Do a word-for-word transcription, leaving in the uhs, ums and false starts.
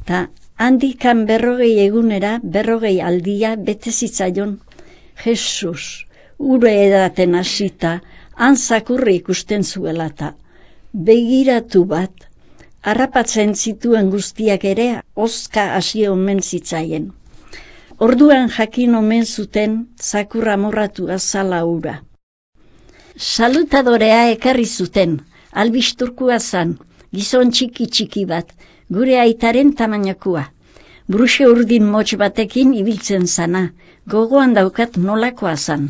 Ta handikan berrogei egunera, berrogei aldia bete zitzaion. Jesus, ure edaten hasita, han zakurri ikusten zuela ta. Begiratu bat, harrapatzen zituen guztiak ere, ozka hasi omen zitzaien. Orduan jakin omen zuten, zakurra morratu azala ura. Salutadorea ekarri zuten, albisturkua zan, gizon txiki-txiki bat, gure aitaren tamainakua. Bruxe urdin motx batekin ibiltzen zana, gogoan daukat nolakoa zan.